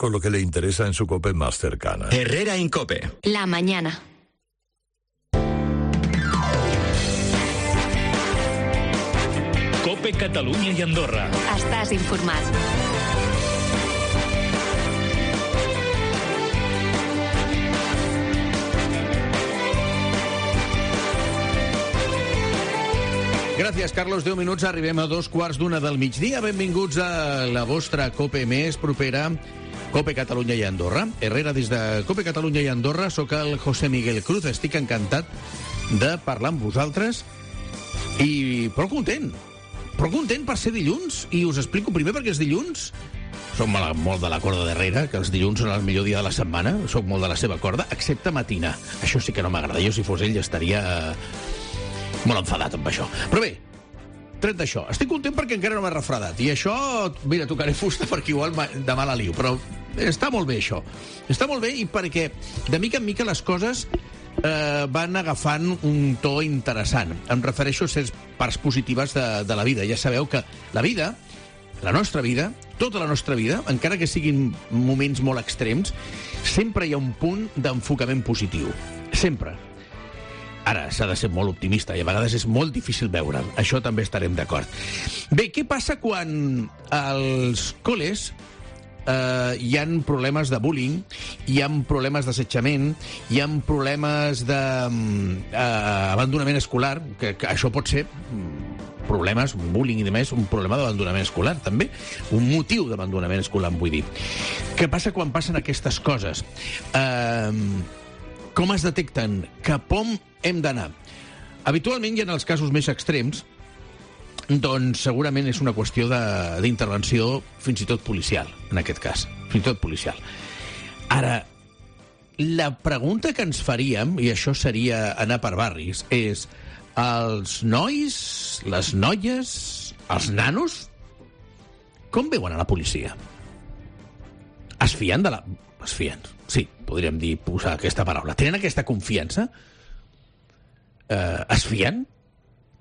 con lo que le interesa en su COPE más cercana. Herrera Incope. La mañana. COPE Catalunya i Andorra. Estàs informat. Gràcies, Carlos. 10 minuts, arribem a 2:15 del migdia. Benvinguts a la vostra COPE més propera, COPE Catalunya i Andorra. Herrera, des de COPE Catalunya i Andorra, sóc el José Miguel Cruz. Estic encantat de parlar amb vosaltres i prou content per ser dilluns, i us explico primer perquè és dilluns. Soc molt de la corda d'Herrera, que els dilluns són el millor dia de la setmana. Soc molt de la seva corda, excepte matinar. Això sí que no m'agrada. Jo, si fos ell, estaria molt enfadat amb això. Però bé, tret d'això, estic content perquè encara no m'he refredat. I això, mira, tocaré fusta perquè igual demà la liu. Però està molt bé, això. Està molt bé, i perquè de mica en mica les coses van agafant un to interessant. Em refereixo a certes parts positives de la vida. Ja sabeu que la vida, la nostra vida, tota la nostra vida, encara que siguin moments molt extrems, sempre hi ha un punt d'enfocament positiu. Sempre. Ara, s'ha de ser molt optimista i a vegades és molt difícil veure'l. Això també estarem d'acord. Bé, què passa quan als col·les hi ha problemes de bullying, hi ha problemes d'assetjament, hi ha problemes d'abandonament escolar, que això pot ser problemes, bullying i demés, un problema d'abandonament escolar, també. Un motiu d'abandonament escolar, vull dir. Què passa quan passen aquestes coses? Com es detecten? Cap on hem d'anar? Habitualment, i en els casos més extrems, doncs segurament és una qüestió d'intervenció fins i tot policial, en aquest cas. Fins i tot policial. Ara, la pregunta que ens faríem, i això seria anar per barris, és els nois, les noies, els nanos, com veuen a la policia? Es fien de la... Es fien, sí, podríem dir, posar aquesta paraula. Tenen aquesta confiança? Es fien?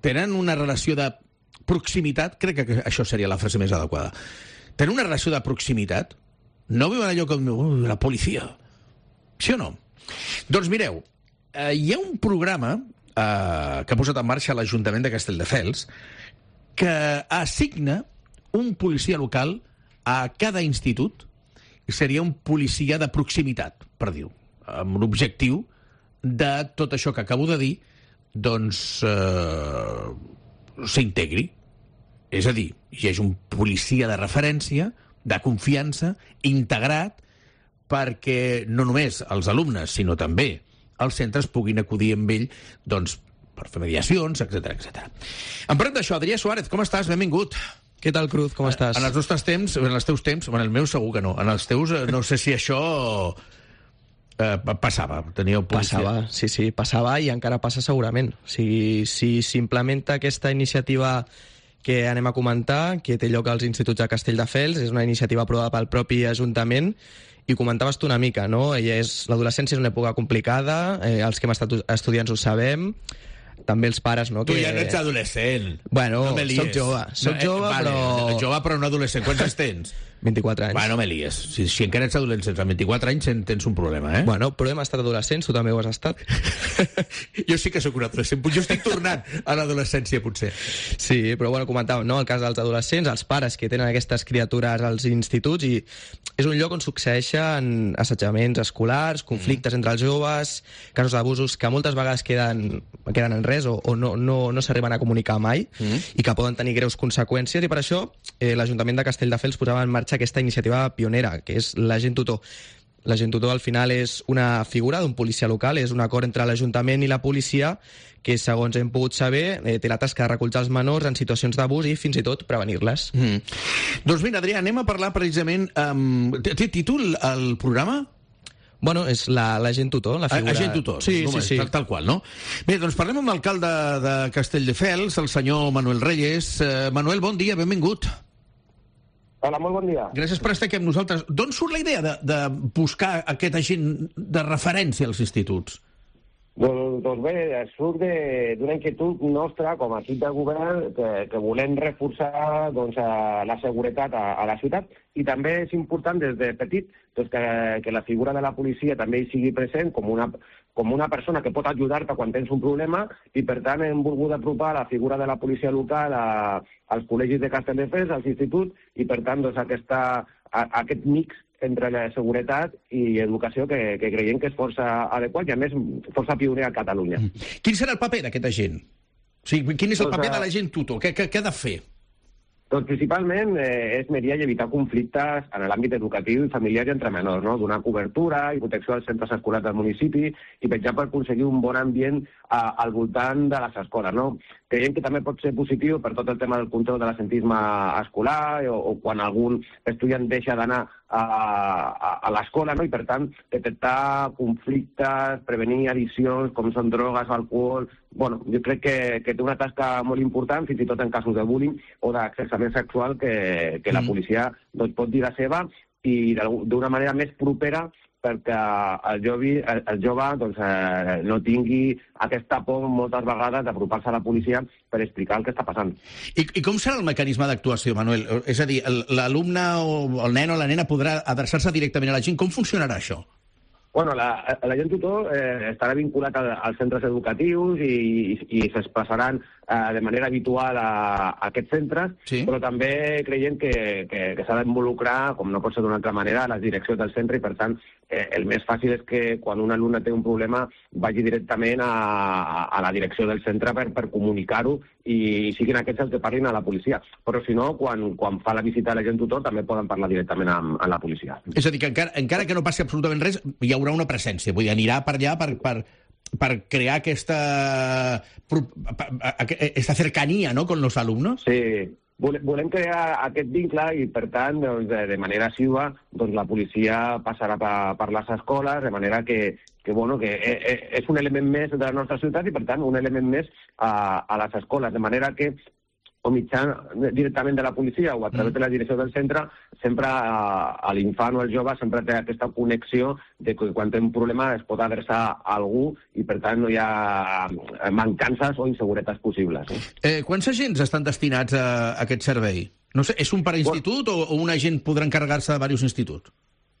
Tenen una relació de proximitat? Crec que això seria la frase més adequada. Tenen una relació de proximitat? No veuen allò com la policia? Sí o no? Doncs mireu, hi ha un programa que ha posat en marxa l'Ajuntament de Castelldefels que assigna un policia local a cada institut, i seria un policia de proximitat, per dir-ho, amb l'objectiu de tot això que acabo de dir, doncs s'integri. És a dir, hi hagi un policia de referència, de confiança, integrat, perquè no només els alumnes, sinó també els centres puguin acudir amb ell, doncs, per fer mediacions, etc etc. En parlant d'això, Adrià Suárez, com estàs? Benvingut. Què tal, Cruz? Com estàs? En els nostres temps, en els teus temps, en el meu segur que no. En els teus, no sé si això passava. Teníeu policia. Passava, sí, passava i encara passa segurament. Si s'implementa aquesta iniciativa que anem a comentar, que té lloc als instituts de Castelldefels, és una iniciativa aprovada pel propi Ajuntament, i comentaves tu una mica, no? L'adolescència és una època complicada, els que hem estat estudiants ho sabem, també els pares, no? Tu ja no ets adolescent. Bueno, no soc jove, vale, però... Jove però no adolescent. Quants anys tens? 24 anys. No me lies. Si encara ets adolescent amb 24 anys tens un problema, eh? Bueno, però hem estat adolescents, tu també ho has estat. Jo sí que sóc un adolescent. Jo estic tornant a l'adolescència, potser. Sí, però bueno, comentàvem, no?, el cas dels adolescents, els pares que tenen aquestes criatures als instituts, i és un lloc on succeeixen assetjaments escolars, conflictes entre els joves, casos d'abusos que moltes vegades queden en res o no s'arriben a comunicar mai i que poden tenir greus conseqüències, i per això l'Ajuntament de Castelldefels posava en marxa aquesta iniciativa pionera, que és l'agent tutor. L'agent tutor al final és una figura d'un policia local, és un acord entre l'Ajuntament i la policia que, segons hem pogut saber, té la tasca de recolzar els menors en situacions d'abús i fins i tot prevenir-les. Doncs mira, Adrià, anem a parlar precisament... Té títol el programa? Bueno, és l'agent tutor, la figura... Agent tutor, sí. Tal qual, no? Bé, doncs parlem amb l'alcalde de Castelldefels, el senyor Manuel Reyes. Manuel, bon dia, benvingut. Hola, molt bon dia. Gràcies per estar aquí amb nosaltres. D'on surt la idea de buscar aquest agent de referència als instituts? Doncs bé, surt d'una inquietud nostra com a equip de govern que volem reforçar la seguretat a la ciutat, i també és important des de petit que la figura de la policia també hi sigui present com una persona que pot ajudar-te quan tens un problema, i per tant hem volgut apropar la figura de la policia local als col·legis de Castelldefels, als instituts, i per tant aquest mix entre la seguretat i educació que creiem que és força adequat i, a més, força pioner a Catalunya. Quin serà el paper d'aquest agent? O sigui, quin és el paper de l'agent tutor? Què ha de fer? Doncs principalment és mediar i evitar conflictes en l'àmbit educatiu i familiar i entre menors, no? Donar cobertura i protecció als centres escolars del municipi i vetllar per aconseguir un bon ambient al voltant de les escoles, no? Creiem que també pot ser positiu per tot el tema del control de l'absentisme escolar o quan algun estudiant deixa d'anar a l'escola, no? I per tant detectar conflictes, prevenir addiccions com són drogues o alcohol. Bueno, jo crec que té una tasca molt important, fins i tot en casos de bullying o d'assetjament sexual, que la policia pot dir la seva, i d'una manera més propera perquè el jove no tingui aquesta por moltes vegades d'apropar-se a la policia per explicar el que està passant. I com serà el mecanisme d'actuació, Manuel? És a dir, l'alumne o el nen o la nena podrà adreçar-se directament a la gent? Com funcionarà això? Bueno, l'agent tutor estarà vinculat als centres educatius i s'expressaran de manera habitual a aquests centres, sí. Però també creiem que s'ha d'involucrar, com no pot ser d'una altra manera, a les direccions del centre, i per tant el més fàcil és que quan un alumne té un problema vagi directament a la direcció del centre per comunicar-ho i siguin aquests els que parlin a la policia. Però si no, quan fa la visita a l'agent tutor també poden parlar directament amb la policia. És a dir, que encara que no passi absolutament res, hi haurà una presència, vull dir, anirà per allà per crear aquesta cercanía, ¿no?, con los alumnos? Sí, volem crear aquest vincle i, per tant, de manera assídua, la policia passarà per les escoles, de manera que és un element més de la nostra ciutat i, per tant, un element més a les escoles, de manera que o mitjan directament de la policia o a través de la direcció del centre, sempre l'infant o el jove sempre té aquesta connexió de que quan té un problema es pot adreçar a algú i, per tant, no hi ha mancances o inseguretats possibles. Quants agents estan destinats a aquest servei? No sé, és un per institut o un agent podrà encarregar-se de diversos instituts?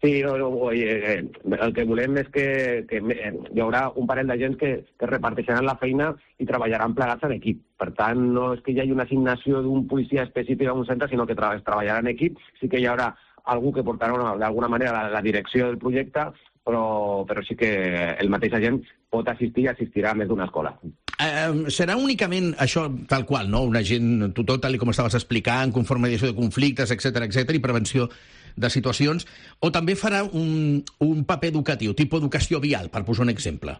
Sí, el que volem és que hi haurà un parell d'agents que reparteixeran la feina i treballaran plegats en equip. Per tant, no és que hi hagi una assignació d'un policia específic a un centre, sinó que es treballarà en equip. Sí que hi haurà algú que portarà d'alguna manera la direcció del projecte, però sí que el mateix agent pot assistir i assistirà a més d'una escola. Serà únicament això tal qual, no? Un agent tutor, tal com estaves explicant, conforme mediació de conflictes, etc i prevenció de situacions, o també farà un paper educatiu, tipus educació vial, per posar un exemple?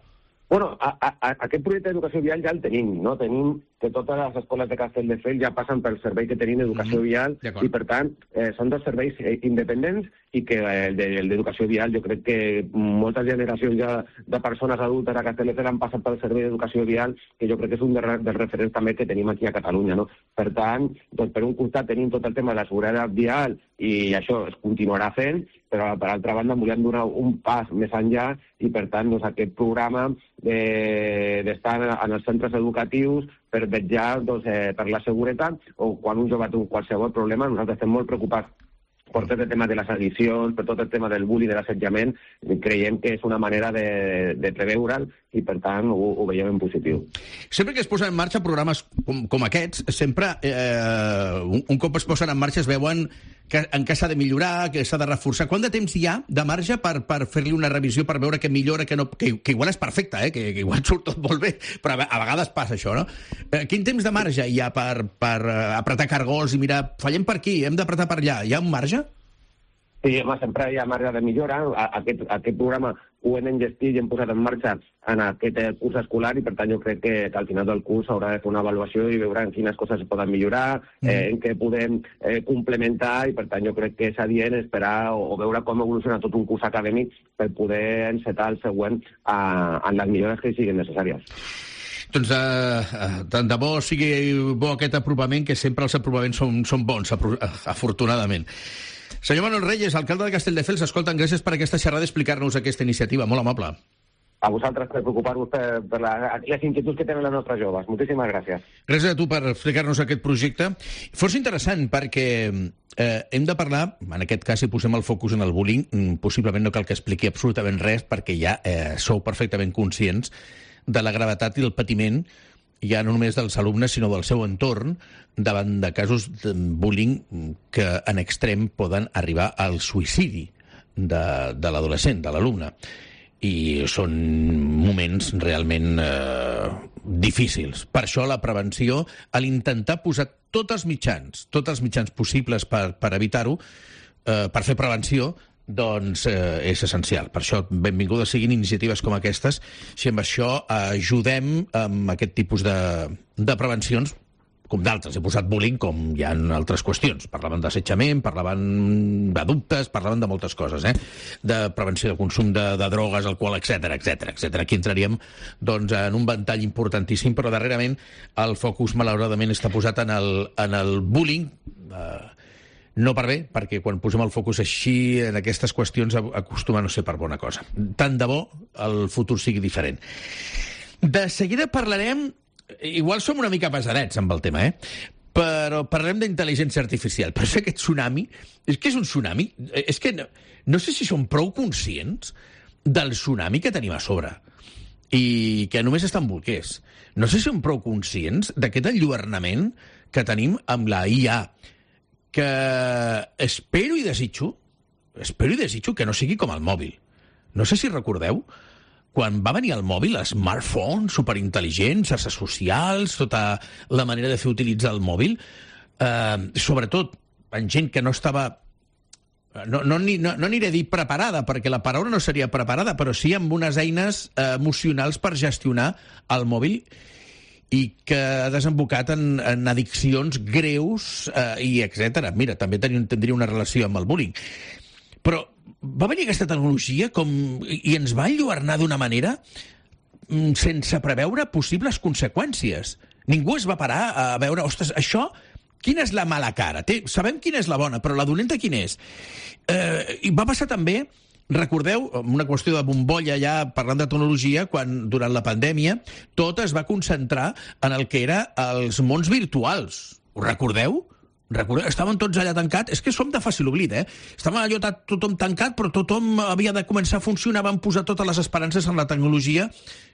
Bueno, aquest projecte d'educació vial ja el tenim, no? Tenim que totes les escoles de Castelldefels ja passen pel servei que tenim d'educació vial i, per tant, són dos serveis independents i que el d'educació vial jo crec que moltes generacions ja de persones adultes a Castelldefels han passat pel servei d'educació vial, que jo crec que és un dels referents també que tenim aquí a Catalunya, no? Per tant, per un costat tenim tot el tema de la seguretat vial i això es continuarà fent, però per altra banda volem donar un pas més enllà i, per tant, aquest programa d'estar en els centres educatius per vetllar per la seguretat, o quan un jove té un qualsevol problema, nosaltres estem molt preocupats per tot el tema de les addicions, per tot el tema del bullying, de l'assetjament. Creiem que és una manera de preveure'l i, per tant, ho veiem en positiu. Sempre que es posen en marxa programes com aquests, sempre, un cop es posen en marxa, es veuen en què s'ha de millorar, que s'ha de reforçar. Quant de temps hi ha de marge per fer-li una revisió, per veure que millora, que igual és perfecte, que igual surt tot molt bé, però a vegades passa això, no? Quin temps de marge hi ha per apretar cargols i mirar, fallem per aquí, hem d'apretar per allà? Hi ha un marge? Sí, home, sempre hi ha marge de millora. Aquest programa ho hem engestit i hem posat en marxa en aquest curs escolar i, per tant, jo crec que al final del curs s'haurà de fer una avaluació i veure en quines coses es poden millorar, en què podem complementar i, per tant, jo crec que és adient esperar o veure com evoluciona tot un curs acadèmic per poder encetar el següent en les millores que siguin necessàries. Doncs tant de bo sigui bo aquest apropament, que sempre els apropaments són bons, afortunadament. Senyor Manuel Reyes, alcalde de Castelldefels, escolta'm, gràcies per aquesta xerrada i explicar-nos aquesta iniciativa. Molt amable. a vosaltres per preocupar-vos per les inquietuds que tenen les nostres joves. Moltíssimes gràcies. Gràcies a tu per explicar-nos aquest projecte. Força interessant, perquè hem de parlar, en aquest cas, si posem el focus en el bullying, possiblement no cal que expliqui absolutament res, perquè ja sou perfectament conscients de la gravetat i el patiment, ja no només dels alumnes, sinó del seu entorn, davant de casos de bullying que en extrem poden arribar al suïcidi de l'adolescent, de l'alumne. I són moments realment difícils. Per això la prevenció, a l'intentar posar tots els mitjans possibles per evitar-ho, per fer prevenció, doncs és essencial. Per això, benvingudes siguin iniciatives com aquestes, si amb això ajudem amb aquest tipus de prevencions, com d'altres. He posat bullying com hi ha altres qüestions. Parlaven d'assetjament, parlaven de dubtes, parlaven de moltes coses, de prevenció de consum de drogues, alcohol, etc. Aquí entraríem doncs, en un ventall importantíssim, però darrerament el focus, malauradament, està posat en el bullying, no per bé, perquè quan posem el focus així en aquestes qüestions acostuma a no ser per bona cosa. Tant de bo el futur sigui diferent. De seguida parlarem. Igual som una mica pesadets amb el tema, però parlem d'intel·ligència artificial. Però aquest tsunami, és que és un tsunami? És que no sé si som prou conscients del tsunami que tenim a sobre i que només estan bolquers. No sé si som prou conscients d'aquest enlluernament que tenim amb la IA, que espero i desitjo que no sigui com el mòbil. No sé si recordeu quan va venir el mòbil, smartphone, superintel·ligent, xarxes socials, tota la manera de fer utilitzar el mòbil, sobretot en gent que no estava... No aniré a dir preparada, perquè la paraula no seria preparada, però sí amb unes eines emocionals per gestionar el mòbil i que ha desembocat en addiccions greus i etc. Mira, també tindria una relació amb el bullying. Però va venir aquesta tecnologia i ens va enlluernar d'una manera sense preveure possibles conseqüències. Ningú es va parar a veure, ostres, això, quina és la mala cara? Sabem quina és la bona, però la dolenta quina és? I va passar també, recordeu, una qüestió de bombolla ja parlant de tecnologia, quan durant la pandèmia tot es va concentrar en el que era els mons virtuals. Ho recordeu? Estàvem tots allà tancats. És que som de fàcil oblit, Estàvem allò tothom tancat, però tothom havia de començar a funcionar. Van posar totes les esperances en la tecnologia,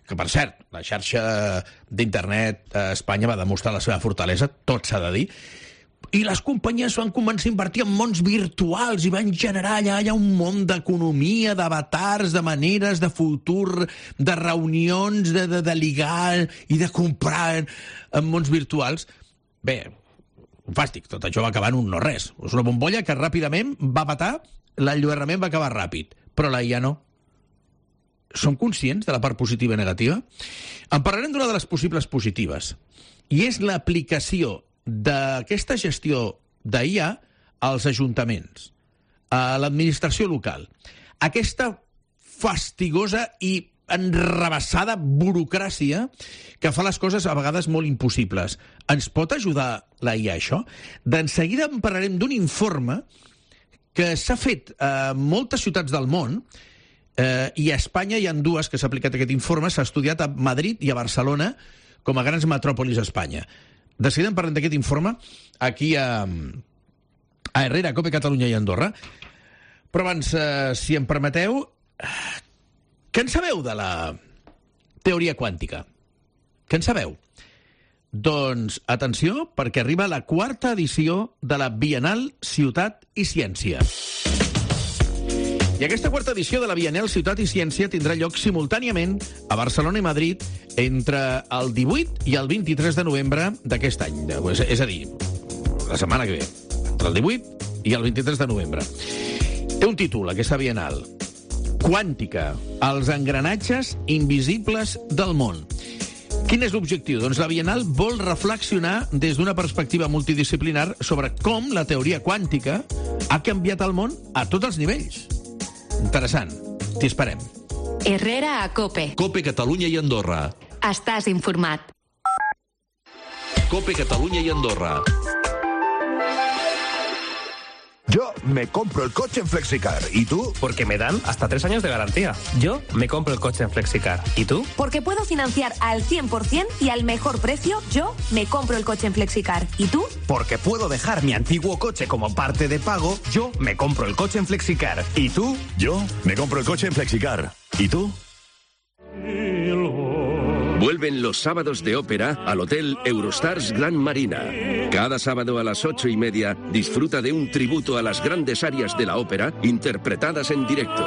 que, per cert, la xarxa d'internet a Espanya va demostrar la seva fortalesa, tot s'ha de dir, i les companyies van començar a invertir en mons virtuals i van generar allà un món d'economia, d'avatars, de maneres, de futur, de reunions, de ligar i de comprar en mons virtuals. Bé, fàstic, tot això va acabar en un no-res. És una bombolla que ràpidament va patar, l'enlluernament va acabar ràpid, però la IA no. Som conscients de la part positiva i negativa? En parlarem d'una de les possibles positives, i és l'aplicació d'aquesta gestió d'IA als ajuntaments, a l'administració local. Aquesta fastigosa i enrabassada burocràcia que fa les coses a vegades molt impossibles. Ens pot ajudar la IA, això? D'enseguida en parlarem d'un informe que s'ha fet a moltes ciutats del món, i a Espanya hi ha dues que s'ha aplicat aquest informe. S'ha estudiat a Madrid i a Barcelona com a grans metròpolis a Espanya. De seguida en parlem d'aquest informe aquí a Herrera, COPE Catalunya i Andorra. Però abans, si em permeteu, què en sabeu de la teoria quàntica? Què en sabeu? Doncs, atenció, perquè arriba la 4ª edició de la Bienal Ciutat i Ciència. I aquesta 4ª edició de la Bienal Ciutat i Ciència tindrà lloc simultàniament a Barcelona i Madrid entre el 18 i el 23 de novembre d'aquest any. És a dir, la setmana que ve, entre el 18 i el 23 de novembre. Té un títol, aquesta Bienal: Quàntica, els engranatges invisibles del món. Quin és l'objectiu? Doncs la Bienal vol reflexionar des d'una perspectiva multidisciplinar sobre com la teoria quàntica ha canviat el món a tots els nivells. Interessant. T'hi esperem. Herrera a COPE. COPE Catalunya i Andorra. Estàs informat. COPE Catalunya i Andorra. Yo me compro el coche en Flexicar. ¿Y tú? Porque me dan hasta 3 años de garantía. Yo me compro el coche en Flexicar. ¿Y tú? Porque puedo financiar al 100% y al mejor precio. Yo me compro el coche en Flexicar. ¿Y tú? Porque puedo dejar mi antiguo coche como parte de pago. Yo me compro el coche en Flexicar. ¿Y tú? Yo me compro el coche en Flexicar. ¿Y tú? Vuelven los sábados de ópera al Hotel Eurostars Gran Marina. Cada sábado a las 8:30 disfruta de un tributo a las grandes arias de la ópera interpretadas en directo.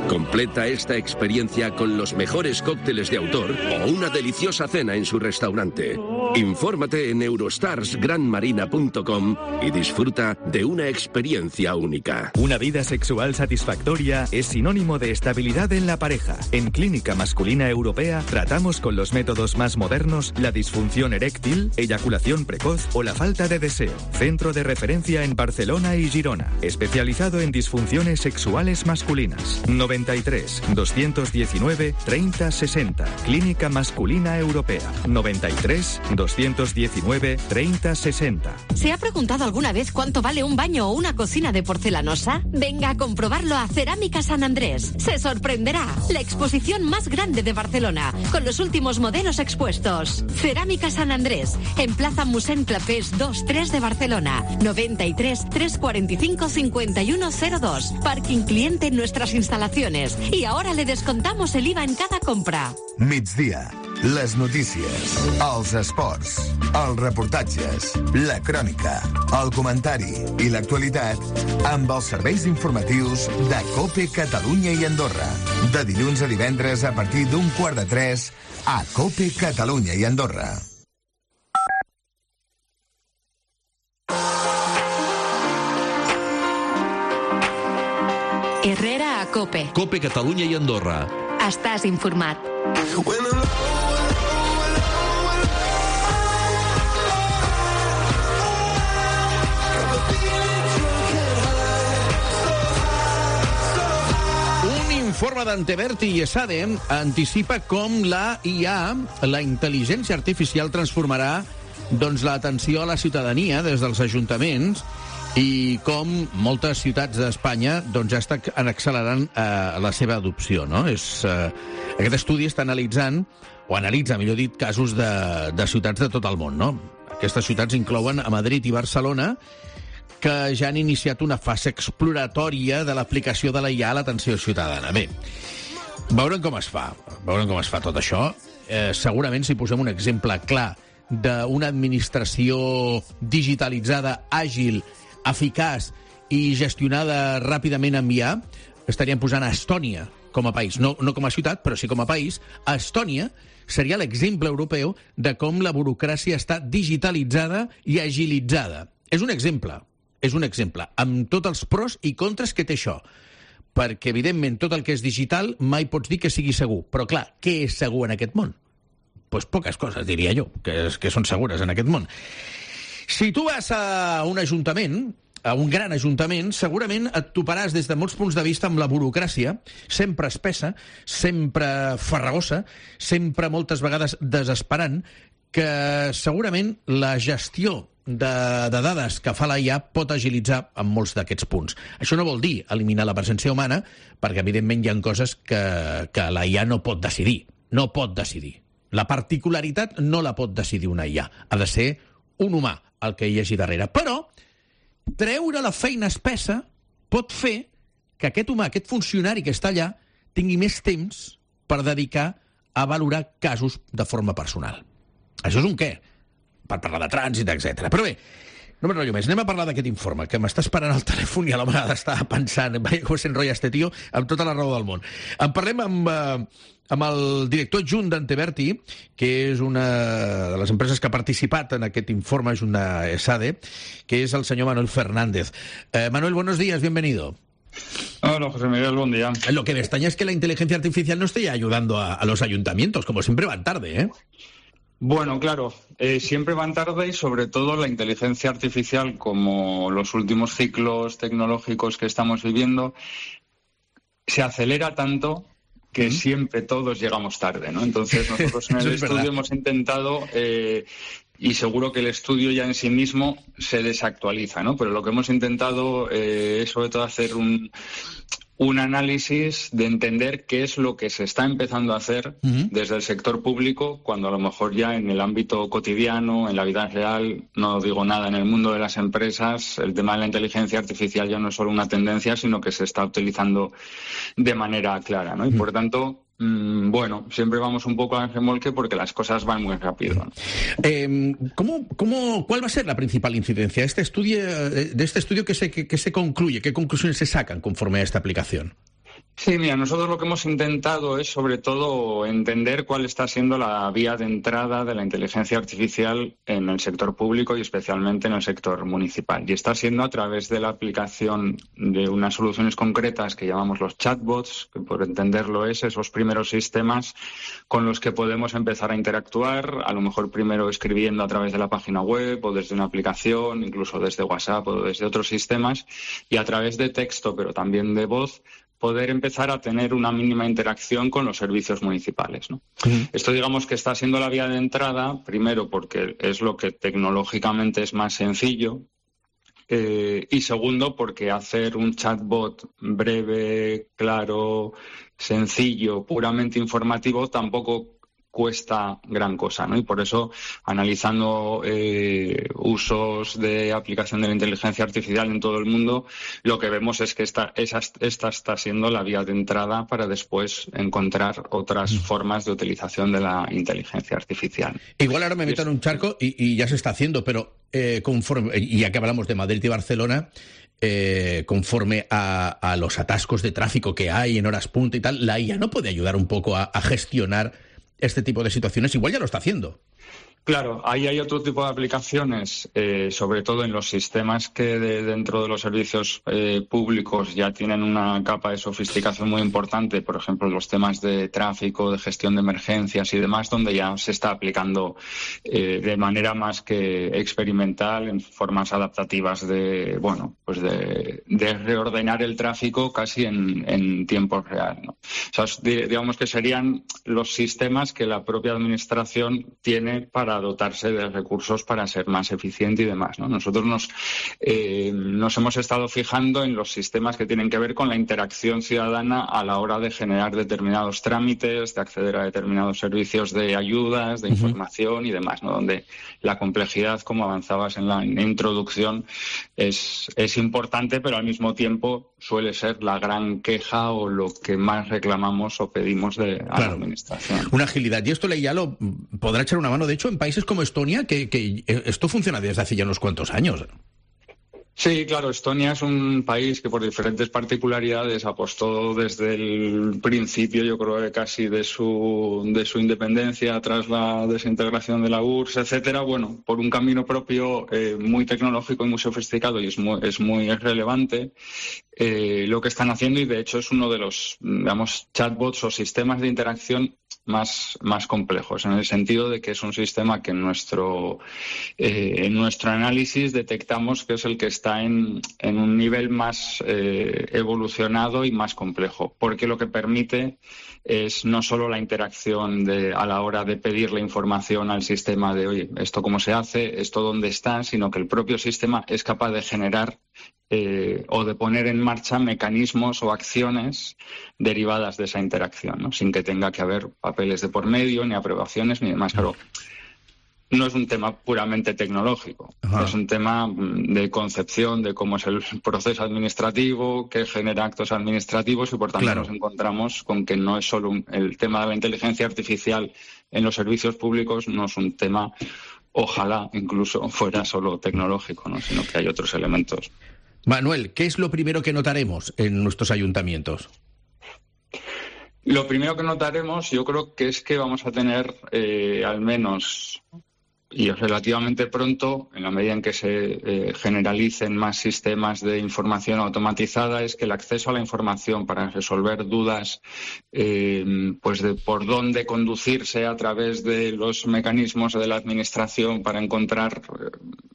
Completa esta experiencia con los mejores cócteles de autor o una deliciosa cena en su restaurante. Infórmate en eurostarsgranmarina.com y disfruta de una experiencia única. Una vida sexual satisfactoria es sinónimo de estabilidad en la pareja. En Clínica Masculina Europea tratamos con los métodos más modernos la disfunción eréctil, eyaculación precoz o la falta de deseo. Centro de referencia en Barcelona y Girona. Especializado en disfunciones sexuales masculinas. 93 219 30 60. Clínica Masculina Europea. 93 219 30 60. ¿Se ha preguntado alguna vez cuánto vale un baño o una cocina de porcelanosa? Venga a comprobarlo a Cerámica San Andrés. Se sorprenderá. La exposición más grande de Barcelona, con los últimos modelos expuestos. Cerámica San Andrés, en Plaza Mossèn Clapés 2-3 de Barcelona. 93 345 5102. Parking cliente en nuestras instalaciones. Y ahora le descontamos el IVA en cada compra. Migdia, les notícies, els esports, els reportatges, la crònica, el comentari i l'actualitat amb els serveis informatius de COPE Catalunya i Andorra. De dilluns a divendres a partir d'14:45 a COPE Catalunya i Andorra. Herrera a COPE. COPE Catalunya i Andorra. Estàs informat. Informe d'Anteberti i ESADE anticipa com la IA, la intel·ligència artificial, transformarà l'atenció a la ciutadania des dels ajuntaments i com moltes ciutats d'Espanya ja estan accelerant la seva adopció. No? Aquest estudi està analitzant, o analitza, millor dit, casos de ciutats de tot el món. No? Aquestes ciutats inclouen a Madrid i Barcelona, que ja han iniciat una fase exploratòria de l'aplicació de la IA a l'atenció ciutadana. Bé, veurem com es fa tot això. Segurament, si posem un exemple clar d'una administració digitalitzada, àgil, eficaç i gestionada ràpidament amb IA, estaríem posant a Estònia com a país, no com a ciutat, però sí com a país. A Estònia seria l'exemple europeu de com la burocràcia està digitalitzada i agilitzada. És un exemple, amb tots els pros i contres que té això. Perquè, evidentment, tot el que és digital mai pots dir que sigui segur. Però, clar, què és segur en aquest món? Doncs poques coses, diria jo, que són segures en aquest món. Si tu vas a un ajuntament, a un gran ajuntament, segurament et toparàs des de molts punts de vista amb la burocràcia, sempre espessa, sempre farragosa, sempre moltes vegades desesperant, que segurament la gestió de dades que fa la IA pot agilitzar en molts d'aquests punts. Això no vol dir eliminar la presència humana, perquè evidentment hi ha coses que la IA no pot decidir. No pot decidir. La particularitat no la pot decidir una IA. Ha de ser un humà el que hi hagi darrere. Però treure la feina espessa pot fer que aquest humà, aquest funcionari que està allà, tingui més temps per dedicar a valorar casos de forma personal. Això és un què? Per parlar de trànsit, etc. Però bé, no m'enrotllo més. Anem a parlar d'aquest informe, que m'està esperant al telèfon i a l'home d'estar pensant, com s'enrotlla este tio, amb tota la raó del món. En parlem amb el director adjunt d'Anteberti, que és una de les empreses que ha participat en aquest informe, és una ESADE, que és el senyor Manuel Fernández. Manuel, buenos días, bienvenido. Hola, José Miguel, buen día. Lo que me extraña es que la inteligencia artificial no esté ayudando a los ayuntamientos, como siempre van tarde, ¿eh? Bueno, claro, siempre van tarde y sobre todo la inteligencia artificial, como los últimos ciclos tecnológicos que estamos viviendo, se acelera tanto que siempre todos llegamos tarde, ¿no? Entonces nosotros en el estudio hemos intentado y seguro que el estudio ya en sí mismo se desactualiza, ¿no? Pero lo que hemos intentado es sobre todo hacer un análisis de entender qué es lo que se está empezando a hacer desde el sector público, cuando a lo mejor ya en el ámbito cotidiano, en la vida real, no digo nada, en el mundo de las empresas, el tema de la inteligencia artificial ya no es solo una tendencia, sino que se está utilizando de manera clara, ¿no? Y por tanto, bueno, siempre vamos un poco al remolque porque las cosas van muy rápido, ¿no? ¿Cuál va a ser la principal incidencia de este estudio que se concluye? ¿Qué conclusiones se sacan conforme a esta aplicación? Sí, mira, nosotros lo que hemos intentado es sobre todo entender cuál está siendo la vía de entrada de la inteligencia artificial en el sector público y especialmente en el sector municipal. Y está siendo a través de la aplicación de unas soluciones concretas que llamamos los chatbots, que por entenderlo es esos primeros sistemas con los que podemos empezar a interactuar, a lo mejor primero escribiendo a través de la página web o desde una aplicación, incluso desde WhatsApp o desde otros sistemas, y a través de texto, pero también de voz, poder empezar a tener una mínima interacción con los servicios municipales, ¿no? Esto digamos que está siendo la vía de entrada, primero porque es lo que tecnológicamente es más sencillo, y segundo porque hacer un chatbot breve, claro, sencillo, puramente informativo tampoco cuesta gran cosa, ¿no? Y por eso, analizando usos de aplicación de la inteligencia artificial en todo el mundo, lo que vemos es que esta está siendo la vía de entrada para después encontrar otras formas de utilización de la inteligencia artificial. Igual ahora me meto en un charco y ya se está haciendo, pero conforme, y ya que hablamos de Madrid y Barcelona, conforme a los atascos de tráfico que hay en horas punta y tal, la IA no puede ayudar un poco a gestionar este tipo de situaciones. Igual ya lo está haciendo. Claro, ahí hay otro tipo de aplicaciones, sobre todo en los sistemas que dentro de los servicios públicos ya tienen una capa de sofisticación muy importante, por ejemplo, los temas de tráfico, de gestión de emergencias y demás, donde ya se está aplicando de manera más que experimental, en formas adaptativas de reordenar el tráfico casi en tiempo real, ¿no? O sea, digamos que serían los sistemas que la propia administración tiene para dotarse de recursos para ser más eficiente y demás, ¿no? Nosotros nos hemos estado fijando en los sistemas que tienen que ver con la interacción ciudadana a la hora de generar determinados trámites, de acceder a determinados servicios de ayudas, de información y demás, ¿no? Donde la complejidad, como avanzabas en la introducción, es importante, pero al mismo tiempo suele ser la gran queja o lo que más reclamamos o pedimos a la administración. Una agilidad. Y esto ya lo podrá echar una mano, de hecho, en países como Estonia, que esto funciona desde hace ya unos cuantos años. Sí, claro, Estonia es un país que por diferentes particularidades apostó desde el principio, yo creo que casi de su independencia tras la desintegración de la URSS, etcétera, bueno, por un camino propio muy tecnológico y muy sofisticado, y es muy relevante lo que están haciendo, y de hecho es uno de los, digamos, chatbots o sistemas de interacción más complejos, en el sentido de que es un sistema que en nuestro análisis detectamos que es el que está en un nivel más evolucionado y más complejo, porque lo que permite es no solo la interacción a la hora de pedir la información al sistema de, oye, esto cómo se hace, esto dónde está, sino que el propio sistema es capaz de generar o de poner en marcha mecanismos o acciones derivadas de esa interacción, ¿no? Sin que tenga que haber papeles de por medio, ni aprobaciones, ni demás. Claro, no es un tema puramente tecnológico, es un tema de concepción de cómo es el proceso administrativo, que genera actos administrativos, y por tanto nos encontramos con que no es solo el tema de la inteligencia artificial en los servicios públicos, no es un tema, ojalá incluso fuera solo tecnológico, ¿no? Sino que hay otros elementos. Manuel, ¿qué es lo primero que notaremos en nuestros ayuntamientos? Lo primero que notaremos, yo creo que es que vamos a tener al menos, y relativamente pronto, en la medida en que se generalicen más sistemas de información automatizada, es que el acceso a la información para resolver dudas, pues de por dónde conducirse a través de los mecanismos de la administración para encontrar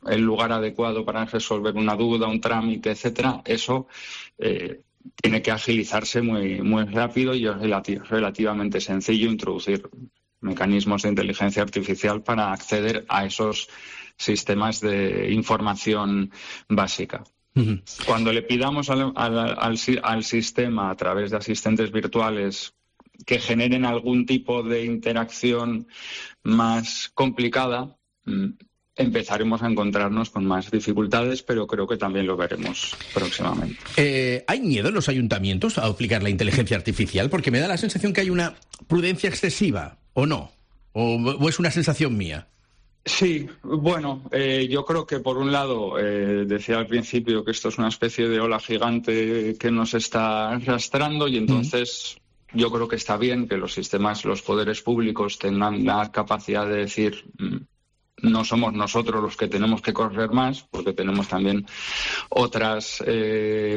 el lugar adecuado para resolver una duda, un trámite, etcétera, eso tiene que agilizarse muy rápido, y es relativamente sencillo introducir mecanismos de inteligencia artificial para acceder a esos sistemas de información básica. Cuando le pidamos al sistema a través de asistentes virtuales que generen algún tipo de interacción más complicada, empezaremos a encontrarnos con más dificultades, pero creo que también lo veremos próximamente. ¿Hay miedo en los ayuntamientos a aplicar la inteligencia artificial? Porque me da la sensación que hay una prudencia excesiva, ¿o no? ¿O es una sensación mía? Sí, bueno, yo creo que por un lado, decía al principio que esto es una especie de ola gigante que nos está arrastrando y entonces yo creo que está bien que los sistemas, los poderes públicos tengan la capacidad de decir no somos nosotros los que tenemos que correr más, porque tenemos también otras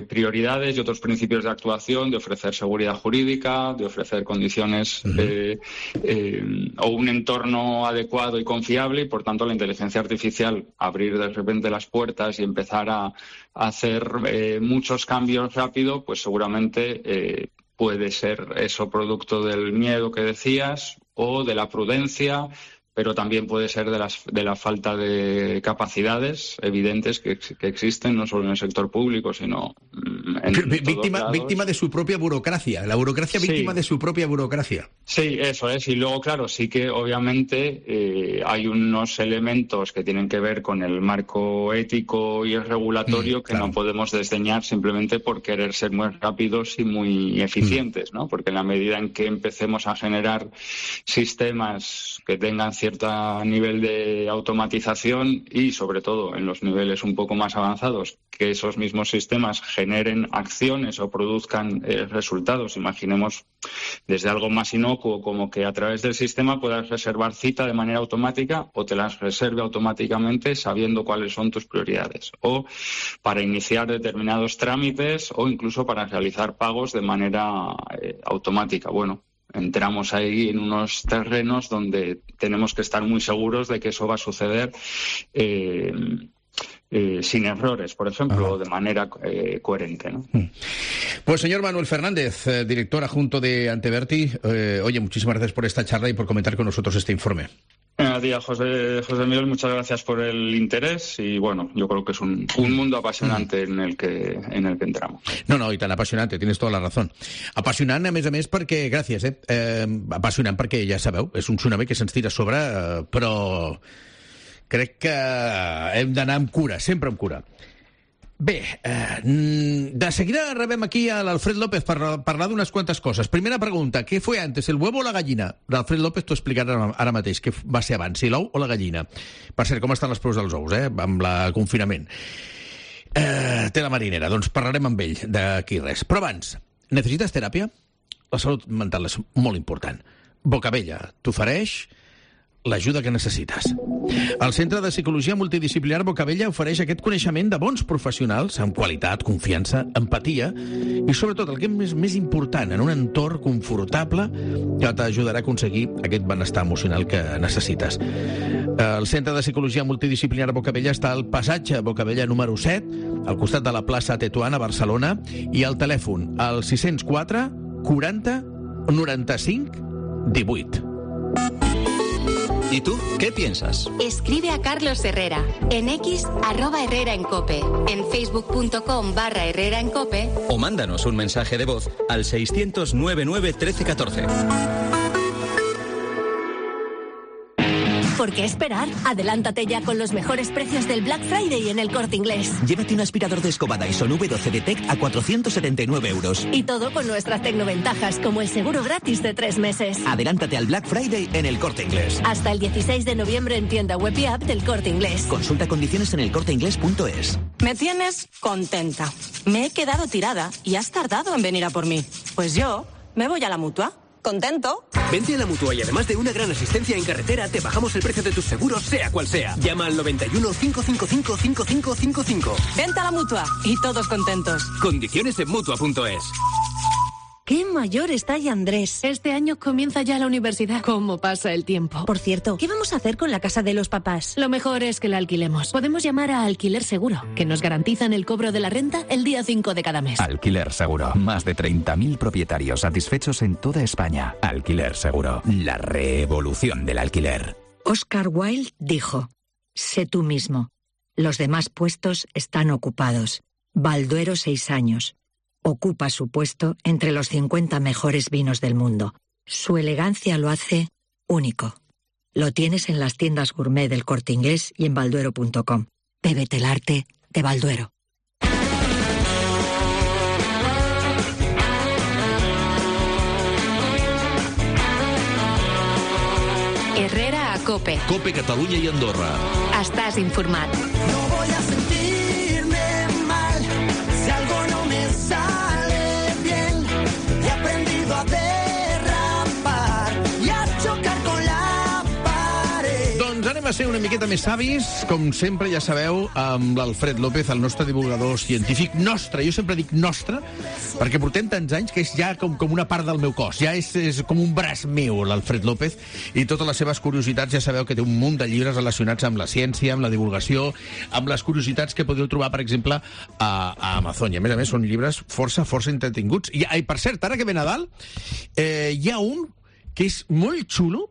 prioridades y otros principios de actuación, de ofrecer seguridad jurídica, de ofrecer condiciones o un entorno adecuado y confiable, y por tanto la inteligencia artificial, abrir de repente las puertas y empezar a hacer muchos cambios rápido, pues seguramente puede ser eso producto del miedo que decías o de la prudencia, pero también puede ser de la falta de capacidades evidentes que existen, no solo en el sector público, sino víctima de su propia burocracia, la burocracia víctima de su propia burocracia. Sí, eso es, y luego, claro, sí que obviamente hay unos elementos que tienen que ver con el marco ético y el regulatorio que no podemos desdeñar simplemente por querer ser muy rápidos y muy eficientes, ¿no? Porque en la medida en que empecemos a generar sistemas que tengan cierto nivel de automatización y, sobre todo, en los niveles un poco más avanzados, que esos mismos sistemas generen acciones o produzcan resultados. Imaginemos desde algo más inocuo, como que a través del sistema puedas reservar cita de manera automática o te las reserve automáticamente sabiendo cuáles son tus prioridades. O para iniciar determinados trámites o incluso para realizar pagos de manera automática. Bueno, entramos ahí en unos terrenos donde tenemos que estar muy seguros de que eso va a suceder sin errores, por ejemplo, o de manera coherente, ¿no? Pues señor Manuel Fernández, director adjunto de Anteverti, oye, muchísimas gracias por esta charla y por comentar con nosotros este informe. Buenos días, José Miguel, muchas gracias por el interés y bueno, yo creo que es un mundo apasionante en el que entramos. No, i tan apassionant, tienes tota la raó. Apassionant, a més, perquè, gràcies, apassionant perquè, ja sabeu, és un tsunami que se'ns tira a sobre, però crec que hem d'anar amb cura, sempre amb cura. Bé, de seguida rebem aquí a l'Alfred López per parlar d'unes quantes coses. Primera pregunta, què fue antes, el huevo o la gallina? L'Alfred López t'ho explicarà ara mateix, què va ser abans, si l'ou o la gallina. Per cert, com estan les preus dels ous, amb el confinament? Té la marinera, doncs parlarem amb ell d'aquí res. Però abans, necessites teràpia? La salut mental és molt important. Bocabella t'ofereix l'ajuda que necessites. El Centre de Psicologia Multidisciplinar Bocabella ofereix aquest coneixement de bons professionals amb qualitat, confiança, empatia i, sobretot, el que és més important, en un entorn confortable que t'ajudarà a aconseguir aquest benestar emocional que necessites. El Centre de Psicologia Multidisciplinar Bocabella està al passatge Bocabella número 7, al costat de la plaça Tetuán a Barcelona, i el telèfon al 604 40 95 18. ¿Y tú qué piensas? Escribe a Carlos Herrera en X @HerreraEnCope, en facebook.com/HerreraEnCope o mándanos un mensaje de voz al 600 99 13 14. ¿Por qué esperar? Adelántate ya con los mejores precios del Black Friday en el Corte Inglés. Llévate un aspirador de escoba Dyson V12 Detect a 479 euros. Y todo con nuestras tecnoventajas, como el seguro gratis de 3 meses. Adelántate al Black Friday en el Corte Inglés. Hasta el 16 de noviembre en tienda web y app del Corte Inglés. Consulta condiciones en elcorteinglés.es. Me tienes contenta. Me he quedado tirada y has tardado en venir a por mí. Pues yo me voy a la Mutua. ¿Contento? Vente a la Mutua y además de una gran asistencia en carretera, te bajamos el precio de tus seguros, sea cual sea. Llama al 91 555 5555. Vente a la Mutua y todos contentos. Condiciones en Mutua.es. qué mayor está ya Andrés. Este año comienza ya la universidad. ¿Cómo pasa el tiempo? Por cierto, ¿qué vamos a hacer con la casa de los papás? Lo mejor es que la alquilemos. Podemos llamar a Alquiler Seguro, que nos garantizan el cobro de la renta el día 5 de cada mes. Alquiler Seguro. Más de 30.000 propietarios satisfechos en toda España. Alquiler Seguro. La revolución del alquiler. Oscar Wilde dijo: sé tú mismo. Los demás puestos están ocupados. Balduero 6 años. Ocupa su puesto entre los 50 mejores vinos del mundo. Su elegancia lo hace único. Lo tienes en las tiendas gourmet del Corte Inglés y en balduero.com. Bébete el arte de Balduero. Herrera a COPE. COPE Catalunya i Andorra. Estàs informat. No voy a sentirme mal si algo no me sale bien. He aprendido a derrapar y a chocar con la pared. Doncs anem a ser una miqueta més savis, com sempre, ja sabeu, amb l'Alfred López, el nostre divulgador científic. Nostre, jo sempre dic nostre, perquè portem tants anys que és ja com una part del meu cos. Ja és com un braç meu, l'Alfred López, i totes les seves curiositats. Ja sabeu que té un munt de llibres relacionats amb la ciència, amb la divulgació, amb les curiositats que podeu trobar, per exemple, a Amazon. I a més, són llibres força entretinguts. I per cert, ara que ve Nadal, hi ha un que és molt xulo.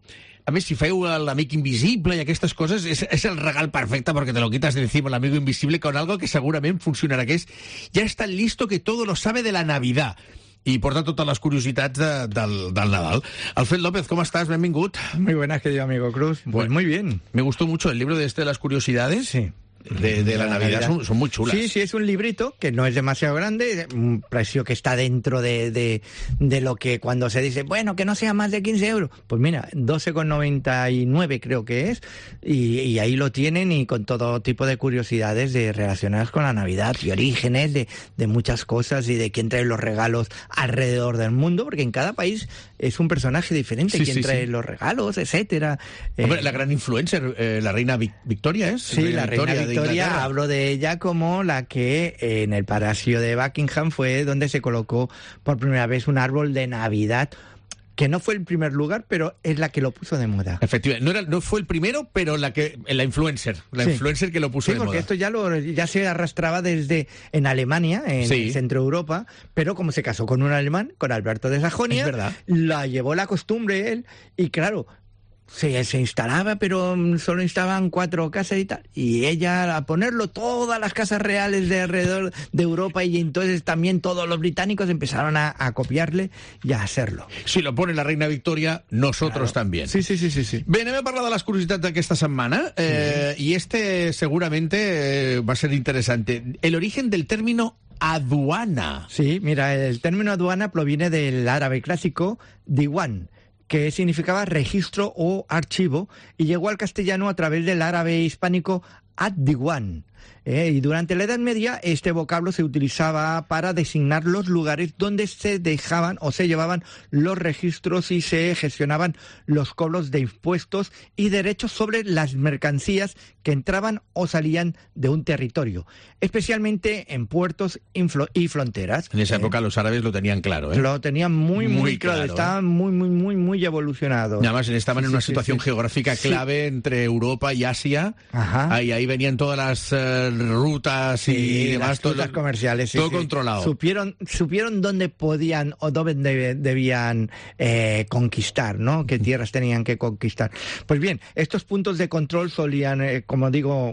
A més, si feu l'amic invisible i aquestes coses, és el regal perfecte perquè te lo quitas de encima, l'amigo invisible, con algo que segurament funcionarà, que és ja està listo que todo lo sabe de la Navidad. I porta totes les curiositats del Nadal. Alfred López, ¿cómo estás? Benvingut. Muy buenas, querido amigo Cruz. Pues muy bien. Me gustó mucho el libro de las curiosidades. Sí. De la Navidad. Son muy chulas. Sí, es un librito que no es demasiado grande, un precio que está dentro de lo que cuando se dice, bueno, que no sea más de 15 euros. Pues mira, 12,99 creo que es, y ahí lo tienen, y con todo tipo de curiosidades relacionadas con la Navidad y orígenes de muchas cosas, y de quién trae los regalos alrededor del mundo, porque en cada país es un personaje diferente, quién trae los regalos, etcétera. Hombre, la gran influencer, la reina Victoria, ¿es? Sí, la reina Victoria, hablo de ella como la que en el Palacio de Buckingham fue donde se colocó por primera vez un árbol de Navidad, que no fue el primer lugar, pero es la que lo puso de moda. Efectivamente, no fue el primero, pero la influencer, influencer que lo puso de moda. Sí, porque esto ya se arrastraba desde en Alemania, en el centro de Europa, pero como se casó con un alemán, con Alberto de Sajonia, es verdad, la llevó la costumbre él, y claro, se instalaba, pero solo instalaban 4 casas y tal. Y ella, a ponerlo, todas las casas reales de alrededor de Europa, y entonces también todos los británicos empezaron a copiarle y a hacerlo. Si lo pone la reina Victoria, nosotros también. Sí. Bé, anem a parlar de les curiositats d'aquesta setmana. Y seguramente va a ser interesante. El origen del término aduana. Sí, mira, el término aduana proviene del árabe clásico diwan, que significaba registro o archivo, y llegó al castellano a través del árabe hispánico ad-diwan. Y durante la Edad Media este vocablo se utilizaba para designar los lugares donde se dejaban o se llevaban los registros y se gestionaban los cobros de impuestos y derechos sobre las mercancías que entraban o salían de un territorio, especialmente en puertos y fronteras. En esa época los árabes lo tenían claro, Lo tenían muy claro, estaban muy evolucionados. Y además estaban en una situación geográfica clave entre Europa y Asia. Ajá. Ahí venían todas las rutas y demás, rutas comerciales, todo controlado. Supieron dónde podían o dónde debían conquistar, ¿no? Qué tierras tenían que conquistar. Pues bien, estos puntos de control solían, como digo,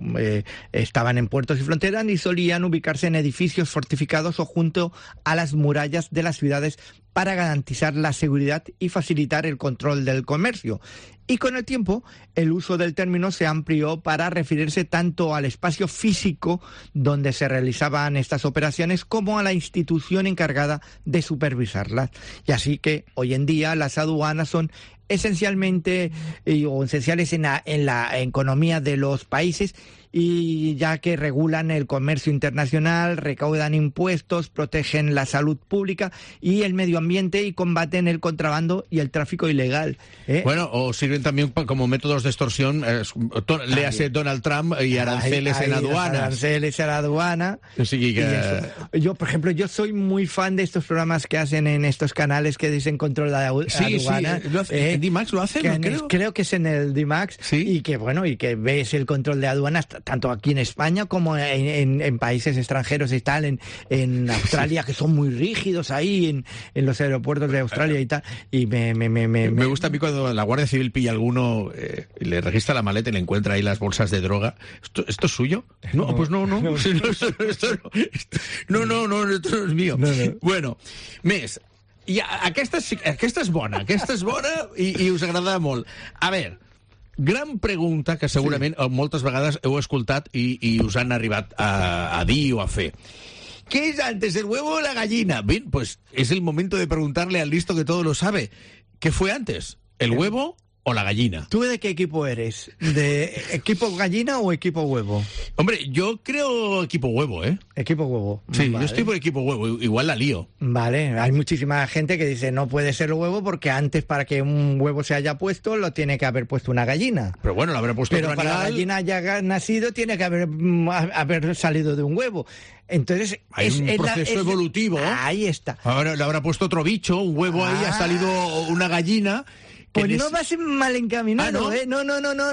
estaban en puertos y fronteras, y solían ubicarse en edificios fortificados o junto a las murallas de las ciudades para garantizar la seguridad y facilitar el control del comercio. Y con el tiempo, el uso del término se amplió para referirse tanto al espacio físico donde se realizaban estas operaciones como a la institución encargada de supervisarlas. Y así que hoy en día las aduanas son esencialmente o esenciales en la economía de los países, y ya que regulan el comercio internacional, recaudan impuestos, protegen la salud pública y el medio ambiente y combaten el contrabando y el tráfico ilegal. Bueno, o sirven también como métodos de extorsión, léase Donald Trump y aranceles en aduanas. Aranceles en aduana. Sí, yo, por ejemplo, yo soy muy fan de estos programas que hacen en estos canales que dicen control de aduana. Sí, ¿en D-Max lo hacen? Creo que es en el D-Max. ¿Sí? Y que, bueno, y que ves el control de aduanas tanto aquí en España como en países extranjeros y tal, en Australia, que son muy rígidos ahí, en los aeropuertos de Australia y tal. Y me gusta a mí cuando la Guardia Civil pilla a alguno y le registra la maleta y le encuentra ahí las bolsas de droga. ¿Esto es suyo? No, pues no. No, esto no es mío. No. Bueno, més, i aquesta és bona i us agrada molt. A veure, gran pregunta que segurament moltes vegades heu escoltat i us han arribat a dir o a fer. ¿Qué es antes, el huevo o la gallina? Bien, pues es el momento de preguntarle al listo que todo lo sabe. ¿Qué fue antes, el huevo o la gallina? ¿Tú de qué equipo eres? ¿De equipo gallina o equipo huevo? Hombre, yo creo equipo huevo, ¿eh? Equipo huevo. Sí, vale. Yo estoy por equipo huevo, igual la lío. Vale, hay muchísima gente que dice no puede ser el huevo porque antes para que un huevo se haya puesto lo tiene que haber puesto una gallina. Pero bueno, lo habrá puesto otro animal. Pero para la gallina haya nacido tiene que haber salido de un huevo. Entonces hay un proceso evolutivo. Ahí está. Ahora le habrá puesto otro bicho, un huevo ahí, ha salido una gallina. Pues no vas mal encaminado, ¿no?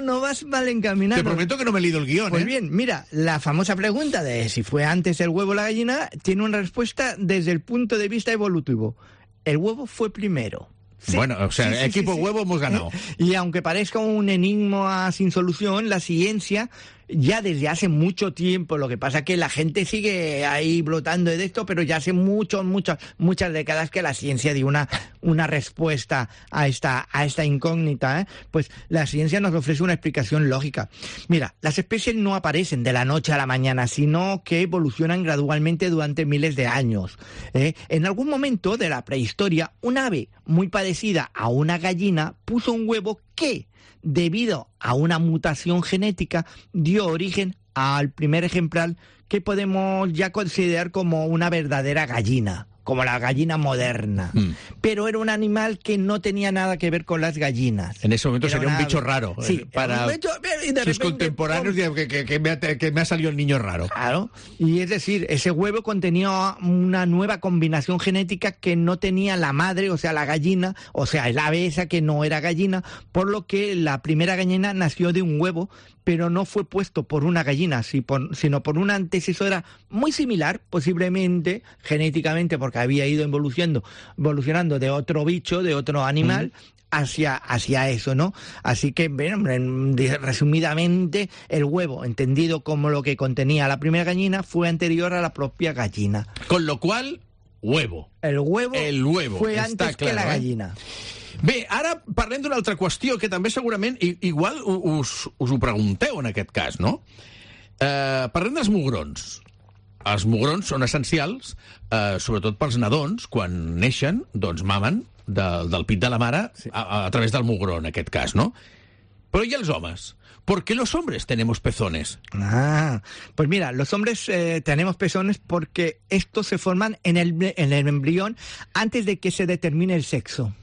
No vas mal encaminado. Te prometo que no me he leído el guión, Pues bien, mira, la famosa pregunta de si fue antes el huevo o la gallina tiene una respuesta desde el punto de vista evolutivo. El huevo fue primero. Sí, bueno, o sea, equipo huevo hemos ganado. Y aunque parezca un enigma sin solución, la ciencia ya desde hace mucho tiempo, lo que pasa es que la gente sigue ahí brotando de esto, pero ya hace muchas décadas que la ciencia dio una respuesta a esta incógnita, Pues la ciencia nos ofrece una explicación lógica. Mira, las especies no aparecen de la noche a la mañana, sino que evolucionan gradualmente durante miles de años. En algún momento de la prehistoria, un ave muy parecida a una gallina puso un huevo que, debido a una mutación genética, dio origen al primer ejemplar que podemos ya considerar como una verdadera gallina, como la gallina moderna. Pero era un animal que no tenía nada que ver con las gallinas. En ese momento sería un bicho raro. Sí, para sus contemporáneos que me ha salido el niño raro. Claro, y es decir, ese huevo contenía una nueva combinación genética que no tenía la madre, o sea, la gallina, o sea, el ave esa que no era gallina, por lo que la primera gallina nació de un huevo, pero no fue puesto por una gallina, sino por una antecesora muy similar, posiblemente genéticamente, porque había ido evolucionando de otro bicho, de otro animal, hacia eso, ¿no? Así que, bueno, resumidamente, el huevo, entendido como lo que contenía la primera gallina, fue anterior a la propia gallina. Con lo cual, huevo. El huevo fue antes que la gallina. Bé, ara parlem d'una altra qüestió que també segurament igual us ho pregunteu en aquest cas, no? Parlem dels mugrons. Els mugrons són essencials, sobretot pels nadons, quan neixen, doncs mamen del pit de la mare a través del mugró, en aquest cas, no? Però i els homes? ¿Por qué los hombres tenemos pezones? Pues mira, los hombres tenemos pezones porque estos se forman en el embrión antes de que se determine el sexo.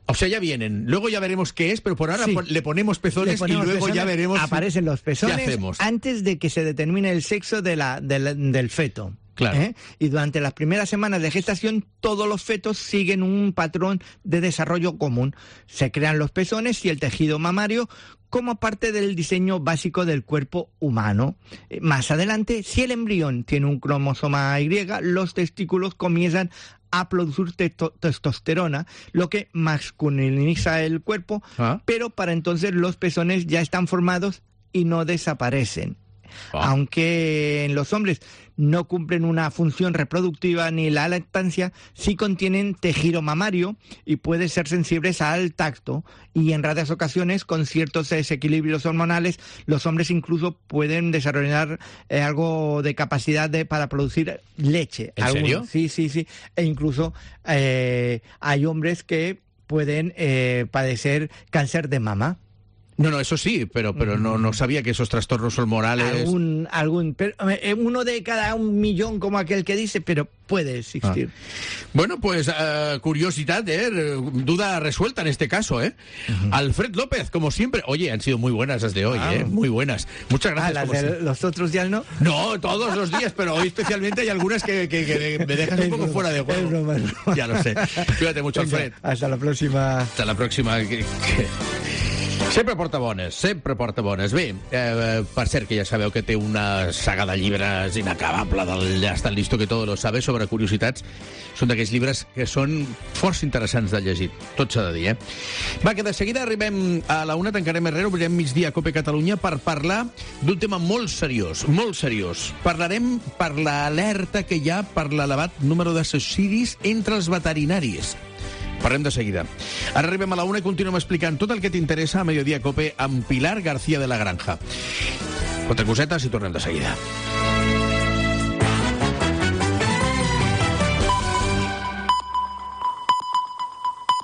O sea, ya vienen. Luego ya veremos qué es, pero por ahora le ponemos pezones y luego ya veremos. Aparecen los pezones antes de que se determine el sexo del feto. Claro. Y durante las primeras semanas de gestación, todos los fetos siguen un patrón de desarrollo común. Se crean los pezones y el tejido mamario como parte del diseño básico del cuerpo humano. Más adelante, si el embrión tiene un cromosoma Y, los testículos comienzan a producir testosterona, lo que masculiniza el cuerpo, pero para entonces los pezones ya están formados y no desaparecen. Aunque en los hombres no cumplen una función reproductiva ni la lactancia, sí contienen tejido mamario y pueden ser sensibles al tacto, y en raras ocasiones, con ciertos desequilibrios hormonales, los hombres incluso pueden desarrollar algo de capacidad para producir leche. ¿En serio? Sí. E incluso hay hombres que pueden padecer cáncer de mama. No, eso sí, pero no sabía que esos trastornos hormonales... Pero, uno de cada 1 millón, como aquel que dice, pero puede existir. Bueno, pues curiosidad, duda resuelta en este caso, Alfred López, como siempre. Oye, han sido muy buenas las de hoy, muy buenas. Muchas gracias. ¿Las de los otros días no? No, todos los días, pero hoy especialmente hay algunas que me dejas un poco fuera de juego. Es broma. Ya lo sé. Cuídate mucho, Alfred. Hasta la próxima. Hasta la próxima. Sempre porta bones. Bé, per cert, que ja sabeu que té una saga de llibres inacabable del Ja està listo que todo lo sabe sobre curiositats. Són d'aquells llibres que són força interessants de llegir. Tot s'ha de dir, Va, que de seguida arribem a la 1, tancarem Herrera, obrirem migdia a Cope Catalunya per parlar d'un tema molt seriós, molt seriós. Parlarem per l'alerta que hi ha per l'elevat número de suïcidis entre els veterinaris. Parlem de seguida. Ara arribem a la 1 i continuem explicant tot el que t'interessa a Mediodía Cope amb Pilar García de la Granja. Quatre cosetes i tornem de seguida.